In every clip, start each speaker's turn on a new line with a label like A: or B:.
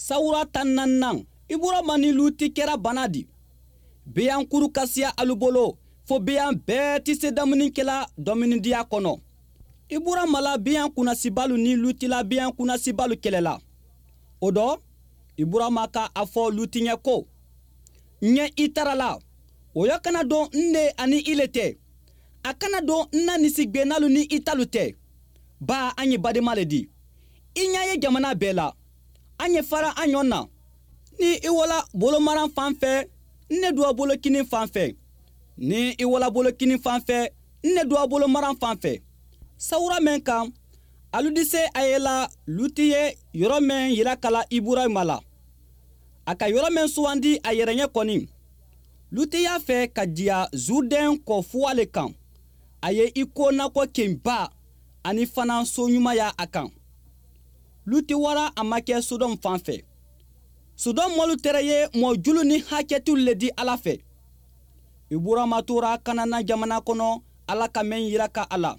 A: Sawura 14nan, Iburama ni Luti kɛra bana di. Beyan kuru ka siya alu bolo, fo beyan bɛɛ tɛ se dumuni kɛla dɔminidiya kɔnɔ. Iburama la beyan kunnasibalu ni Luti la beyan kunnasibalu kɛlɛla. O dɔ, Iburama ka a fɔ Luti ɲɛ ko: N ɲɛ i tara la, o ya kana don n ne ani i le tɛ. A kana don n na misigɛnnalu ni i talu tɛ. Ba an ye badenma le di. I ɲɛ ye jamana bɛɛ la. An ye fara an ɲɔgɔn na. Ni i wala bolomaran fan fɛ, n ne duwa bolo kinin fan fɛ. Ni i wala bolo kinin fan fɛ, n ne duwa bolomaran fan fɛ. Sawura mɛn kan, alu di se a ye la Luti ye yɔrɔ mɛn yira kala Iburahima la. A ka yɔrɔ mɛn sugandi a yɛrɛ ɲɛ kɔni. Luti y'a fɛ ka diya Zurdɛn kɔ fuwa le kan. A ye i ko nakɔ kenba ani fana so ɲuman y'a a kan. Luti wara a makɛ Sodɔm fan fɛ. Sodɔm mɔlu tɛrɛ ye mɔ julu ni hakɛtiw le di Ala fɛ. Iburama tora Kanana jamana kɔnɔ Ala ka mɛn yira ka a la.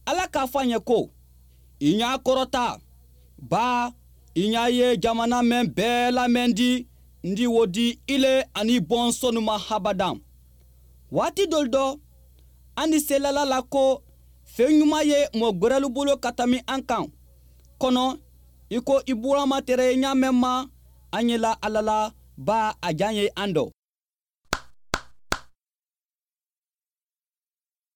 A: Ala k'a fɔ a ɲɛ ko: I ɲa kɔrɔta, ba i ɲa ye jamana mɛn bɛɛ la mɛn di, n di wo di i le ani bɔnsɔnnu ma habadan. Waati dɔlu dɔ, an di se lala la ko fɛn ɲuman ye mɔgɔ gwɛrɛlu bolo ka tami an kan. Kɔnɔ, i ko Iburama tɛrɛ ye ɲa mɛn ma, an ye la Ala la, ba a jan ye an dɔ.